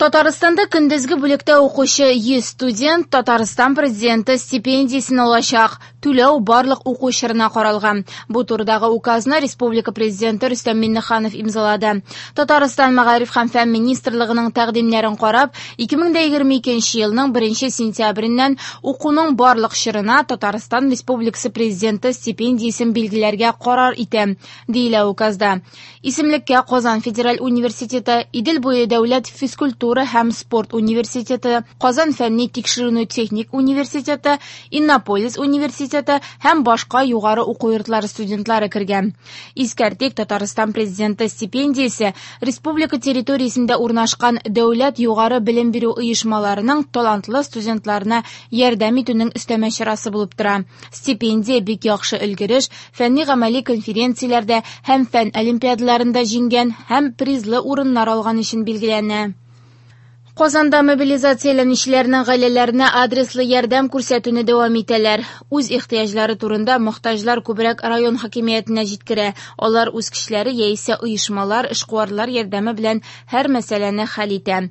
Татарстанда көндезге бүлектә укучы 100 студент Татарстан президенты стипендиясен алачак. Түләү барлык уку чорына каралган. Бу турыдагы указны республика президенты Рөстәм Миңнеханов имзалады. Татарстан Мәгариф һәм фән министрлыгының тәкъдимнәрен карап, 2022 елның 1 сентябреннән укуның барлык чорына Татарстан Республикасы президенты стипендиясен билгеләргә карар итә, диелә указда. Исемлеккә Казан федераль университеты, Идел буе дәүләт физкультура һәм спорт университеты, Казан фәнни тикшеренү техник университеты, Иннополис университеты һәм башка югары уку йортлары студентлары кергән. Искәртик, Татарстан президенты стипендиясе республика территориясендә урнашкан дәүләт югары белем бирү оешмаларының талантлы студентларына ярдәм итүнең өстәмә чарасы булып тора. Стипендия бик яхшы өлгереш, фәнни-гамәли конференцияләрдә һәм фән олимпиадаларында җиңгән һәм призлы урыннар алган өчен билгеләнә. Казанда мобилизацияләнүчеләрнең гаиләләренә адреслы ярдәм күрсәтүне дәвам итәләр. Үз ихтыяҗлары турында мохтаҗлар күбрәк район хакимиятенә җиткерә. Алар үз кешеләре яисә оешмалар, эшкуарлар ярдәме белән һәр мәсьәләне хәл итә.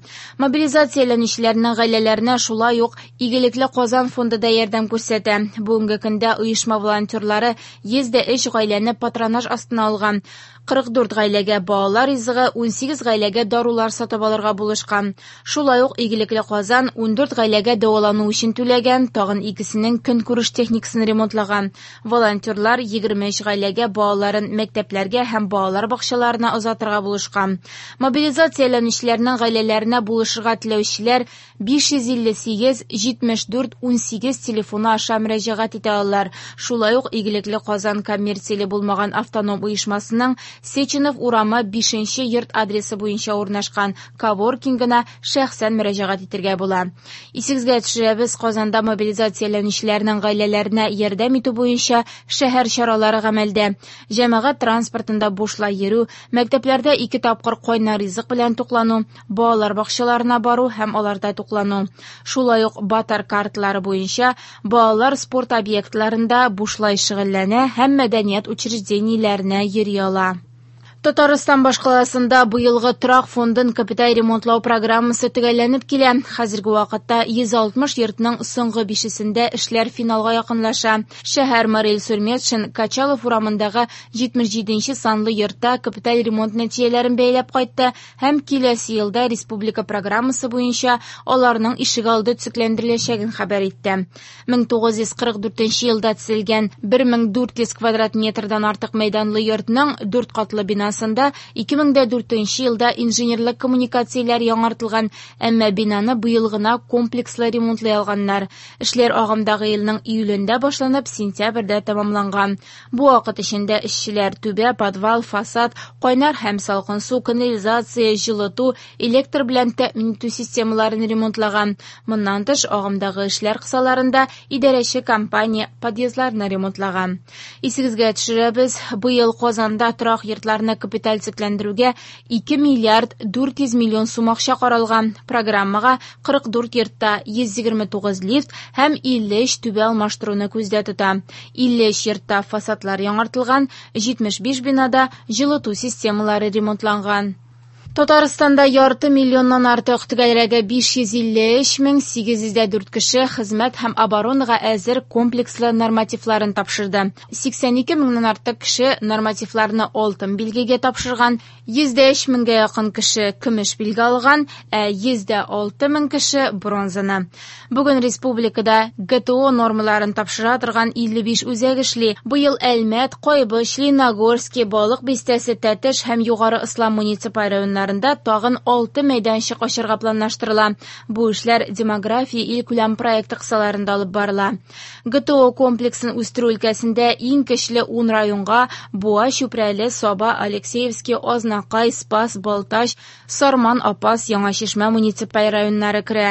Мобилизацияләнүчеләрнең гаиләләренә шулай ук Игелекле Казан фонды да ярдәм күрсәтә. Бүгенге көндә оешма волонтерлары 103 гаиләне патронаж астына алган. 44 гаиләгә балалар ризыгы, 18 гаиләгә дарулар сатып алырга булышкан. Шулай ук Игелекле Казан 14 гаиләгә дәвалану өчен түләгән, тагын икесенең көнкүреш техникасын ремонтлаган. Волонтерлар 23 гаиләгә балаларын мәктәпләргә һәм балалар бакчаларына озатырга булышкан. Мобилизацияләнүчеләрнең гаиләләренә булышырга теләүчеләр 558 74 18 телефоны аша мөрәҗәгать итә алалар. Шулай ук Игелекле Казан коммерцияле булмаган автоном оешмасының Сеченов урамы 5 нче йорт адресы буенча урнашкан коворкингына шәхсән мөрәҗәгать итәргә була. Исегезгә төшерәбез, Казанда мобилизацияләнүчеләрнең гаиләләренә ярдәм итү буенча шәһәр чаралары гамәлдә. Җәмәгать транспортында бушлай йөрү, мәктәпләрдә ике тапкыр кайнар ризык белән туклану, балалар бакчаларына бару һәм аларда туклану. Шулай ук Батар карталары буенча балалар спорт объектларында бушлай шөгыльләнә һәм мәдәният учреждениеләренә йөри ала. Татарстан башкаласында быелгы торак фондын капиталь ремонтлау программасы төгәлләнеп килә. Хәзерге вакытта 160 йортның соңгы бишесендә эшләр финалга якынлаша. Шәһәр мэры Илсур Метшин Качалов урамындагы 77 санлы йортта капиталь ремонт нәтиҗәләрен бәяләп кайтты һәм киләсе елда республика программасы буенча аларның ишегалды төзекләндереләчәген хәбәр итте. 1944 елда төзелгән 1400 квадрат метрдан артык мәйданлы йортның дүрт катлы бинасында 2004 елда инженерлык коммуникацияләр яңартылган, әмма бинаны быел гына комплекслы ремонтлый алганнар. Эшләр агымдагы елның июлендә башланып, сентябрьдә тәмамланган. Бу вакыт эчендә эшчеләр түбә, подвал, фасад, кайнар һәм салкын су, канализация, җылыту, электр белән тәэмин итү системаларын ремонтлаган. Моннан тыш, агымдагы эшләр кысаларында идарәче компания подъездларны ремонтлаган. Исегезгә төшерәбез, быел Казанда торак йортларны капиталь төзекләндерүгә 2 миллиард 400 миллион сум акча каралган. Программага 44 йортта 129 лифт һәм 53 түбә алмаштыруны күздә тота. 53 йортта фасадлар яңартылган, 75 бинада җылыту системалары ремонтланган. Татарстанда ярты миллионнан артык, төгәлрәге 553 мең 804 кеше хезмәт һәм оборонага әзер комплекслы нормативларын тапшырды. 82 меңнән артык кеше нормативларны алтын билгегә тапшырган, 103 меңгә якын кеше көмеш билге алган, ә 106 мең кеше бронзаны. Бүген республикада ГТО нормаларын тапшыра торган 55 үзәк эшли. Быел Әлмәт, Кайбыч, Лениногорский, Балык Бистәсе, Тәтеш һәм Югары Ислам муниципаль районнарында тагын 6 мәйданчык ачарга планлаштырыла. Бу эшләр демография илкүләм проекты кысаларында алып барыла. ГТО комплексын үстерү өлкәсендә иң көчле 10 районга Буа, Чүпрәле, Саба, Алексеевский, Азнакай, Спас, Балтач, Сарман, Апас, Яңа Чишмә муниципаль районнары керә.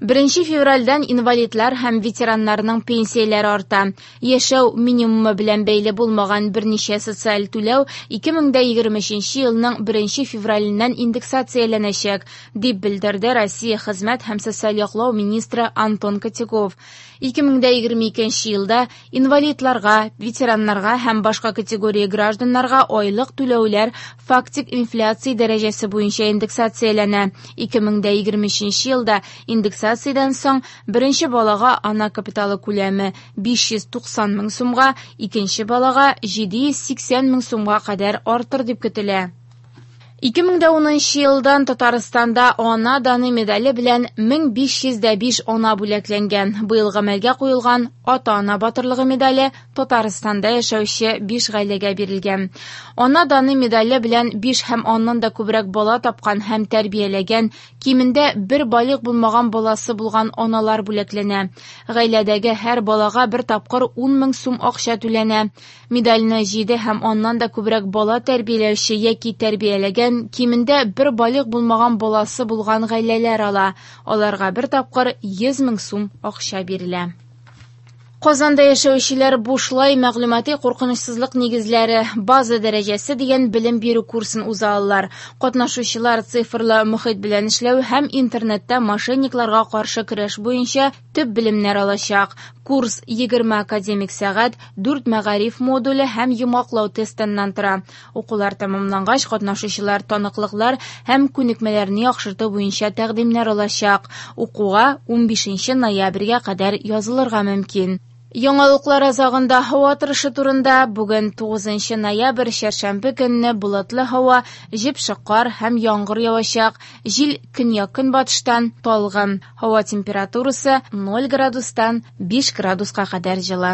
1 февральдән инвалидлар һәм ветераннарның пенсияләре арта. Яшәү минимумы белән бәйле булмаган берничә социаль түләү 2023 елның 1 февраленнән индексацияләнәчәк, дип белдерде Россия хезмәт һәм социаль яклау министры Антон Котяков. 2022 елда инвалидларга, ветераннарга һәм башка категория гражданнарга айлык түләүләр фактик инфляция дәрәҗәсе буенча индексацияләнә. 2023 елда индексациядән соң беренче балага ана капиталы күләме 590 мең сумга, икенче балага 780 мең сумга кадәр артыр дип көтелә. 2010 елдан Татарстанда Ана даны медале белән 1505 ана бүләкләнгән. Быел гамәлгә куелган Ата-ана батырлыгы медале Татарстанда яшәүче 5 гаиләгә бирелгән. Ана даны медале белән 5 һәм аннан да күбрәк бала тапкан һәм тәрбияләгән, кимендә бер балигъ булмаган баласы булган аналар бүләкләнә. Гаиләдәге һәр балага бер тапкыр 10 мең сум акча түләнә. Медальне 7 һәм аннан да күбрәк бала тәрбияләүче яки тәрбияләгән, кимендә бер балигъ булмаган баласы булган гаиләләр ала. Аларга бер тапкыр 100 мең сум акча бирелә. Казанда яшәүчеләр бушлай мәгълүмати куркынычсызлык нигезләре база дәрәҗәсе дигән белем бирү курсын уза алалар. Катнашучылар цифрлы мохит белән эшләү һәм интернетта мошенникларга каршы көрәш буенча төп белемнәр алачак. Курс 20 академик сәгать, 4 мәгариф модуле һәм йомгаклау тестыннан тора. Укулар тәмамлангач, катнашучылар таныклыклар һәм күнекмәләрне яхшырту буенча тәкъдимнәр алачак. Укуга 15 ноябрьгә кадәр язылырга мөмкин. Яңалыклар азагында һава торышы турында. Бүген 9 ноябрь, чәршәмбе көнне болытлы һава, җепшек кар һәм яңгыр явачак. Җил көньяк-көнбатыштан талгын. Һава температурасы 0 градустан 5 градуска кадәр җылы.